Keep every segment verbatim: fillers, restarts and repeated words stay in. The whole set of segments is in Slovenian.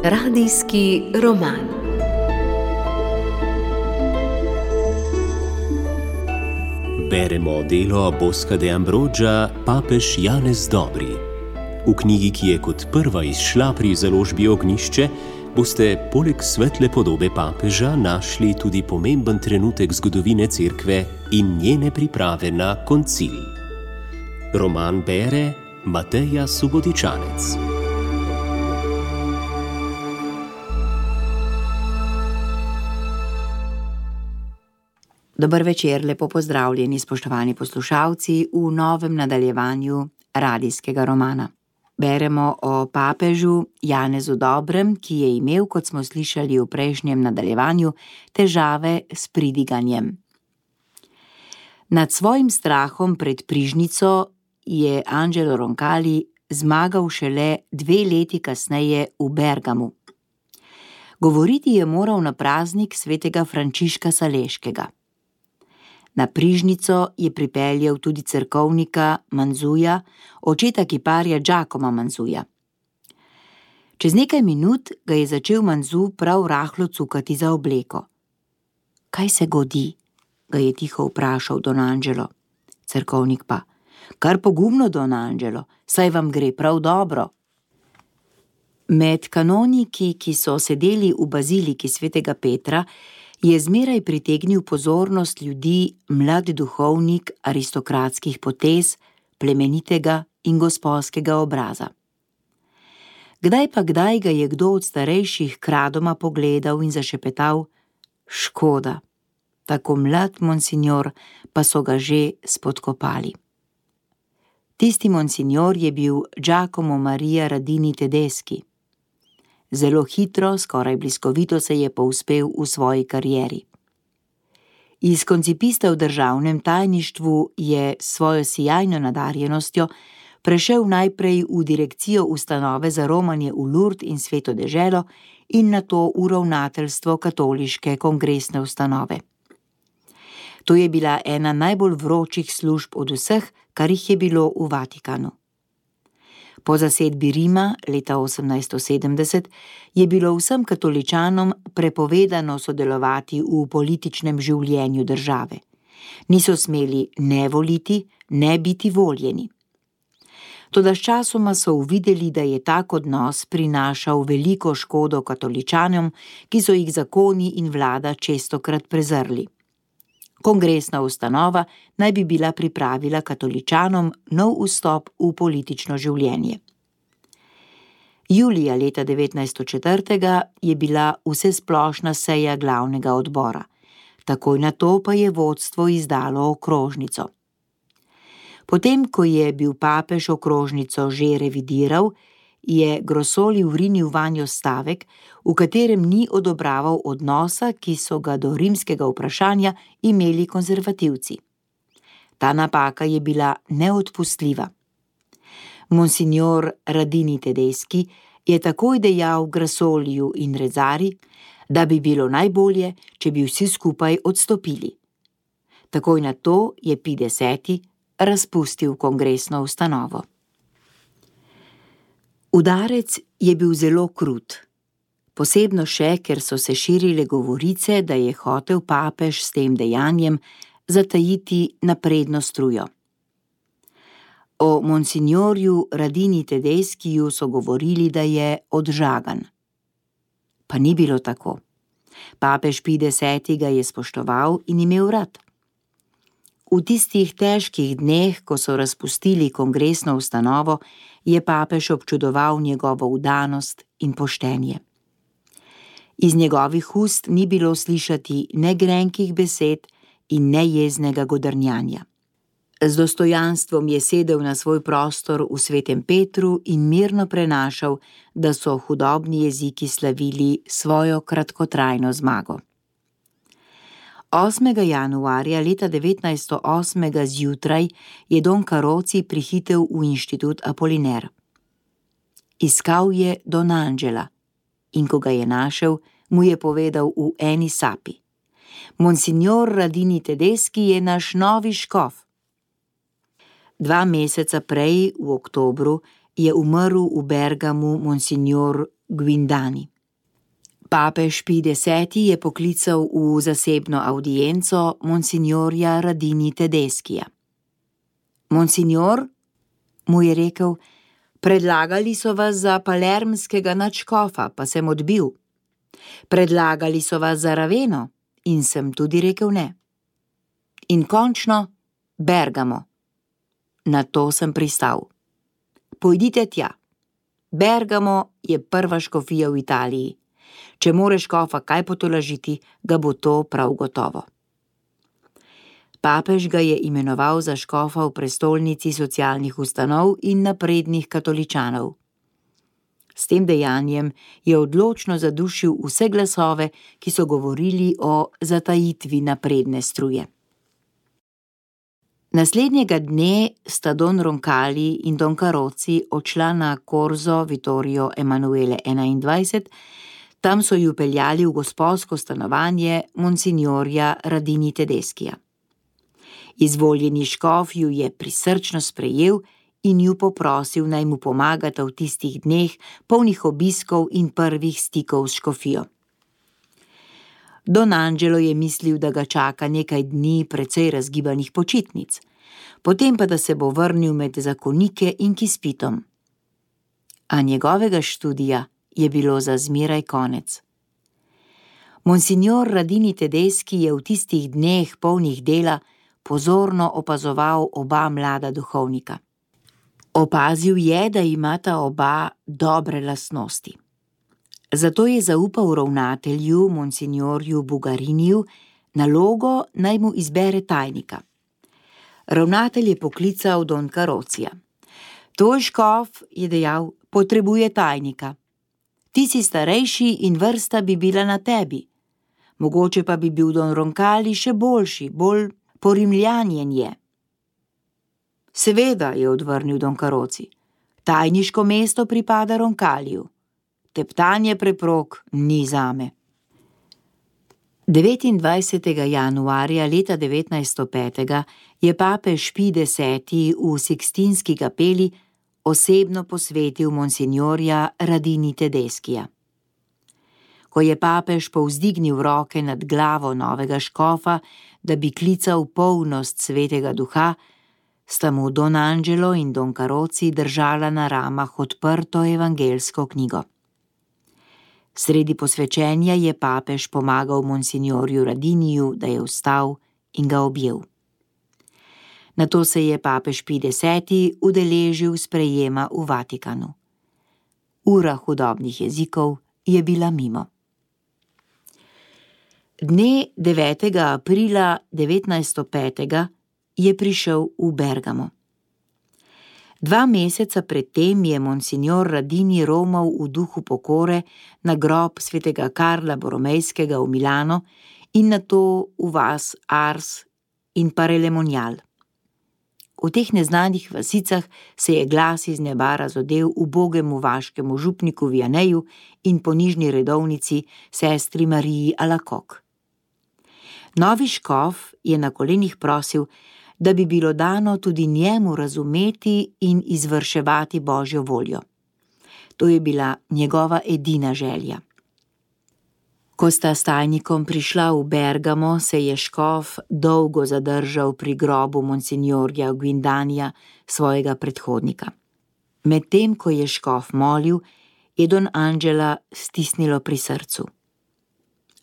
Radijski roman. Beremo delo Bosca de Ambroggia Papež Janez Dobri. V knjigi, ki je kot prva izšla pri založbi Ognjišče, boste poleg svetle podobe papeža našli tudi pomemben trenutek zgodovine Cerkve in njene priprave na koncil. Roman bere Mateja Subotičanec. Dober večer, lepo pozdravljeni, spoštovani poslušalci, v novem nadaljevanju radijskega romana. Beremo o papežu Janezu Dobrem, ki je imel, kot smo slišali v prejšnjem nadaljevanju, težave s pridiganjem. Nad svojim strahom pred prižnico je Angelo Roncalli zmagal šele dve leti kasneje v Bergamu. Govoriti je moral na praznik svetega Frančiška Saleškega. Na prižnico je pripeljal tudi cerkovnika Manzuja, očeta kiparja Giacomo Manzuja. Čez nekaj minut ga je začel Manzu prav rahlo cukati za obleko. Kaj se godi? Ga je tiho vprašal don Angelo. Cerkovnik pa: Kar pogumno, don Angelo, saj vam gre prav dobro. Med kanoniki, ki so sedeli v baziliki svetega Petra, je zmeraj pritegnil pozornost ljudi mlad duhovnik aristokratskih potez, plemenitega in gosposkega obraza. Kdaj pa kdaj ga je kdo od starejših kradoma pogledal in zašepetal: Škoda, tako mlad monsinjor, pa so ga že spodkopali. Tisti monsinjor je bil Giacomo Maria Radini Tedeschi. Zelo hitro, skoraj bliskovito se je povzpel v svoji karieri. Iz koncipista v državnem tajništvu je s svojo sijajno nadarjenostjo prešel najprej v direkcijo ustanove za romanje v Lourdes in Sveto deželo in nato v ravnateljstvo katoliške kongresne ustanove. To je bila ena najbolj vročih služb od vseh, kar jih je bilo v Vatikanu. Po zasedbi Rima leta osemnajststo sedemdeset je bilo vsem katoličanom prepovedano sodelovati v političnem življenju države. Niso smeli ne voliti, ne biti voljeni. Toda sčasoma so uvideli, da je tak odnos prinašal veliko škodo katoličanom, ki so jih zakoni in vlada čestokrat prezrli. Kongresna ustanova naj bi bila pripravila katoličanom nov vstop v politično življenje. Julija leta devetnajststo četiri je bila vsesplošna seja glavnega odbora. Takoj nato pa je vodstvo izdalo okrožnico. Potem, ko je bil papež okrožnico že revidiral, je Grossoli vrinil vanjo stavek, v katerem ni odobraval odnosa, ki so ga do rimskega vprašanja imeli konzervativci. Ta napaka je bila neodpustljiva. Monsignor Radini Tedeschi je takoj dejal Grassoliju in Rezzari, da bi bilo najbolje, če bi vsi skupaj odstopili. Takoj nato je Pij deseti razpustil kongresno ustanovo. Udarec je bil zelo krut, posebno še, ker so se širile govorice, da je hotel papež s tem dejanjem zatajiti napredno strujo. O monsignorju Radini Tedeschiju so govorili, da je odžagan. Pa ni bilo tako. Papež Pij deseti ga je spoštoval in imel rad. V tistih težkih dneh, ko so razpustili kongresno ustanovo, je papež občudoval njegovo vdanost in poštenje. Iz njegovih ust ni bilo slišati ne grenkih besed in ne jeznega godrnjanja. Z dostojanstvom je sedel na svoj prostor v Svetem Petru in mirno prenašal, da so hudobni jeziki slavili svojo kratkotrajno zmago. osmega januarja leta devetnajststo osem zjutraj je don Caroci prihitel v inštitut Apoliner. Iskal je don Angela in ko ga je našel, mu je povedal v eni sapi: Monsignor Radini Tedeschi je naš novi škof. Dva meseca prej, v oktobru, je umrl v Bergamu monsignor Guindani. Papež Pij deseti je poklical v zasebno avdienco monsignorja Radini Tedeschija. Monsignor, mu je rekel, predlagali so vas za palermskega nadškofa, pa sem odbil. Predlagali so vas za Raveno in sem tudi rekel ne. In končno Bergamo. Na to sem pristal. Pojdite tja. Bergamo je prva škofija v Italiji. Če more škofa kaj potolažiti, ga bo to prav gotovo. Papež ga je imenoval za škofa v prestolnici socialnih ustanov in naprednih katoličanov. S tem dejanjem je odločno zadušil vse glasove, ki so govorili o zatajitvi napredne struje. Naslednjega dne sta don Roncalli in don Carozzi odšla na Corso Vittorio Emanuele enaindvajset, tam so ju peljali v gospodsko stanovanje monsignorja Radini Tedeschija. Izvoljeni škof ju je prisrčno sprejel in ju poprosil, naj mu pomagata v tistih dneh, polnih obiskov in prvih stikov s škofijo. Don Angelo je mislil, da ga čaka nekaj dni precej razgibanih počitnic, potem pa da se bo vrnil med zakonike in k izpitom. A njegovega študija je bilo za zmeraj konec. Monsignor Radini Tedeschi je v tistih dneh polnih dela pozorno opazoval oba mlada duhovnika. Opazil je, da imata oba dobre lastnosti. Zato je zaupal ravnatelju, monsignorju Bugariniju, nalogo, naj mu izbere tajnika. Ravnatelj je poklical don Carozzija. Tvoj škof, je dejal, potrebuje tajnika. Ti si starejši in vrsta bi bila na tebi. Mogoče pa bi bil don Roncalli še boljši, bolj porimljanjen je. Seveda, je odvrnil don Carozzi, tajniško mesto pripada Roncalliju. Teptanje preprog ni zame. devetindvajsetega januarja leta devetnajststo pet je papež Pij deseti v Sikstinski kapeli osebno posvetil monsignorja Radini Tedeschija. Ko je papež povzdignil roke nad glavo novega škofa, da bi klical polnost svetega duha, sta mu don Angelo in don Carozzi držala na ramah odprto evangelsko knjigo. Sredi posvečenja je papež pomagal monsignorju Radiniju, da je vstal in ga objel. Nato se je papež Pij deseti udeležil sprejema v Vatikanu. Ura hudobnih jezikov je bila mimo. Dne devetega aprila devetnajststo pet je prišel v Bergamo. Dva meseca predtem je monsignor Radini romal v duhu pokore na grob svetega Karla Boromejskega v Milano in nato v vas Ars in Parelemonial. V teh neznanih vasicah se je glas iz neba razodel ubogemu vaškemu župniku Vianeju in ponižni redovnici sestri Mariji Alakok. Novi škof je na kolenih prosil, da bi bilo dano tudi njemu razumeti in izvrševati Božjo voljo. To je bila njegova edina želja. Ko sta s tajnikom prišla v Bergamo, se je škof dolgo zadržal pri grobu monsignorja Guindanija, svojega predhodnika. Medtem, ko je škof molil, je don Angela stisnilo pri srcu.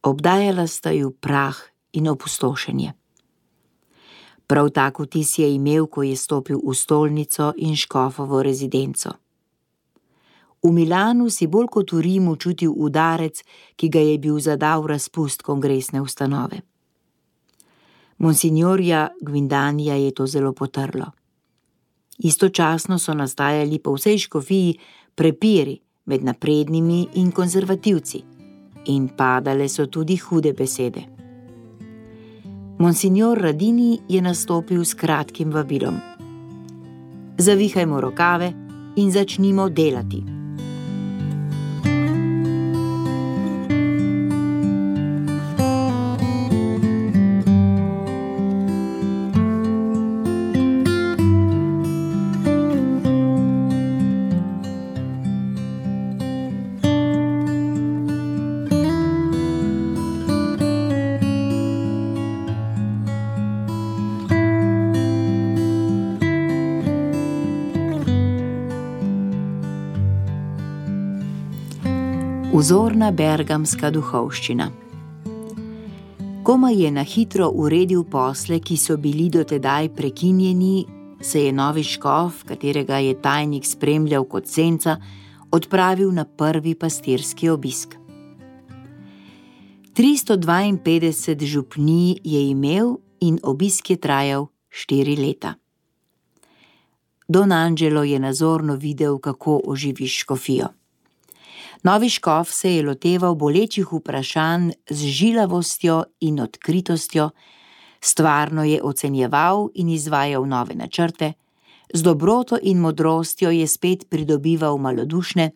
Obdajala sta ju prah in opustošenje. Prav tak vtis je imel, ko je stopil v stolnico in škofovo rezidenco. V Milanu si bolj kot v Rimu čutil udarec, ki ga je bil zadal razpust kongresne ustanove. Monsignorja Guindanija je to zelo potrlo. Istočasno so nastajali po vsej škofiji prepiri med naprednimi in konzervativci in padale so tudi hude besede. Monsignor Radini je nastopil s kratkim vabilom. Zavihajmo rokave in začnimo delati. Vzorna bergamska duhovščina. Komaj je na hitro uredil posle, ki so bili dotedaj prekinjeni, se je novi škof, katerega je tajnik spremljal kot senca, odpravil na prvi pastirski obisk. tristo dvainpetdeset župnij je imel in obisk je trajal štiri leta. Don Angelo je nazorno videl, kako oživiš škofijo. Novi škof se je loteval bolečih vprašanj z žilavostjo in odkritostjo, stvarno je ocenjeval in izvajal nove načrte, z dobroto in modrostjo je spet pridobival malodušne,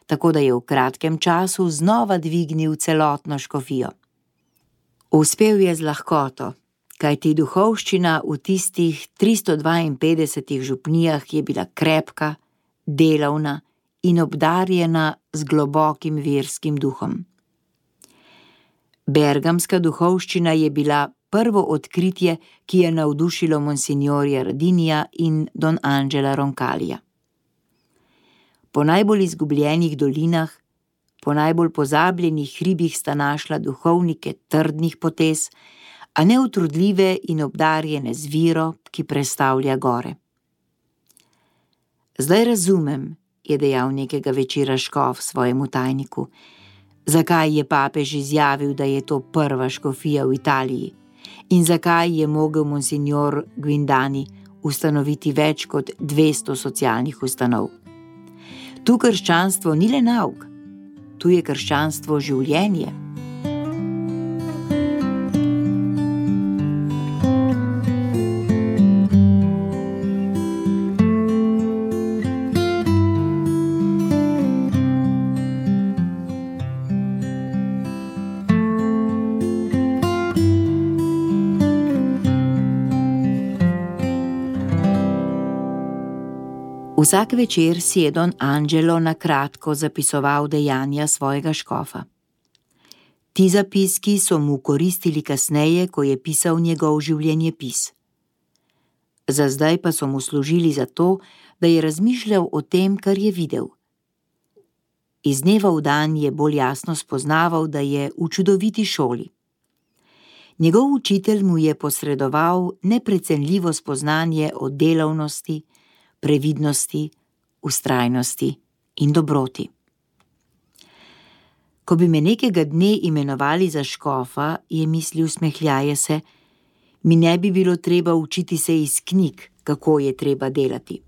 tako da je v kratkem času znova dvignil celotno škofijo. Uspel je z lahkoto, kajti duhovščina v tistih tristo dvainpetdesetih župnijah je bila krepka, delavna in obdarjena z globokim verskim duhom. Bergamska duhovščina je bila prvo odkritje, ki je navdušilo monsignorja Radinija in don Angela Roncalija. Po najbolj izgubljenih dolinah, po najbolj pozabljenih hribih sta našla duhovnike trdnih potez, a neutrudljive in obdarjene z viro, ki prestavlja gore. Zdaj razumem, je dejal nekega večera škof svojemu tajniku, zakaj je papež izjavil, da je to prva škofija v Italiji in zakaj je mogel monsignor Guindani ustanoviti več kot dvesto socialnih ustanov. Tu krščanstvo ni le nauk, tu je krščanstvo življenje. Vsak večer si je don Angelo na kratko zapisoval dejanja svojega škofa. Ti zapiski so mu koristili kasneje, ko je pisal njegov življenjepis. Za zdaj pa so mu služili za to, da je razmišljal o tem, kar je videl. Iz dneva v dan je bolj jasno spoznaval, da je v čudoviti šoli. Njegov učitelj mu je posredoval neprecenljivo spoznanje o delavnosti, previdnosti, vztrajnosti in dobroti. Ko bi me nekega dne imenovali za škofa, je mislil smehljaje se, mi ne bi bilo treba učiti se iz knjig, kako je treba delati.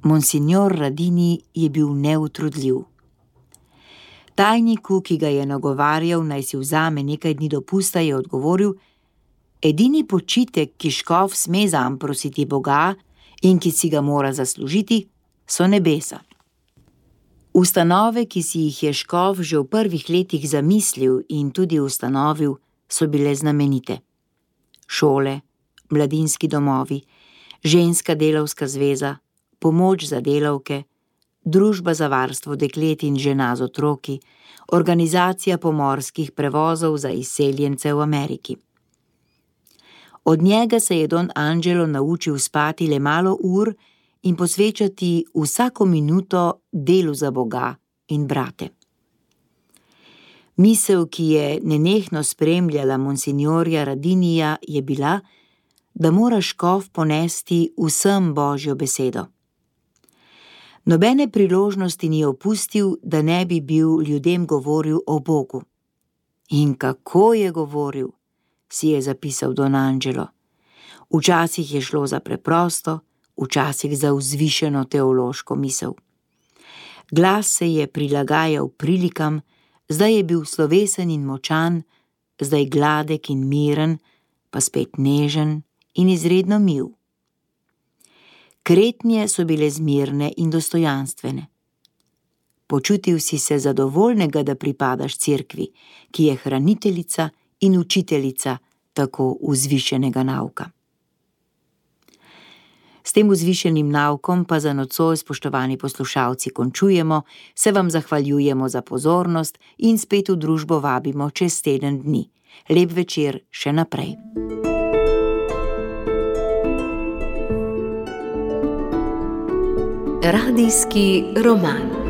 Monsignor Radini je bil neutrudljiv. Tajniku, ki ga je nagovarjal, naj si vzame nekaj dni dopusta, je odgovoril: edini počitek, ki škof sme zanj prositi Boga in ki si ga mora zaslužiti, so nebesa. Ustanove, ki si jih je škof že v prvih letih zamislil in tudi ustanovil, so bile znamenite. Šole, mladinski domovi, ženska delavska zveza, pomoč za delavke, družba za varstvo deklet in žena z otroki, organizacija pomorskih prevozov za izseljence v Ameriki. Od njega se je don Angelo naučil spati le malo ur in posvečati vsako minuto delu za Boga in brate. Misel, ki je nenehno spremljala monsignorja Radinija, je bila, da mora škof ponesti vsem Božjo besedo. Nobene priložnosti ni opustil, da ne bi bil ljudem govoril o Bogu. In kako je govoril, si je zapisal don Angelo. Včasih je šlo za preprosto, včasih za vzvišeno teološko misel. Glas se je prilagajal prilikam, zdaj je bil slovesen in močan, zdaj gladek in miren, pa spet nežen in izredno mil. Kretnje so bile zmirne in dostojanstvene. Počutil si se zadovoljnega, da pripadaš cerkvi, ki je hraniteljica in učiteljica tako vzvišenega nauka. S tem vzvišenim naukom pa za nocoj, spoštovani poslušalci, končujemo, se vam zahvaljujemo za pozornost in spet v družbo vabimo čez teden dni. Lep večer še naprej. Radijski roman.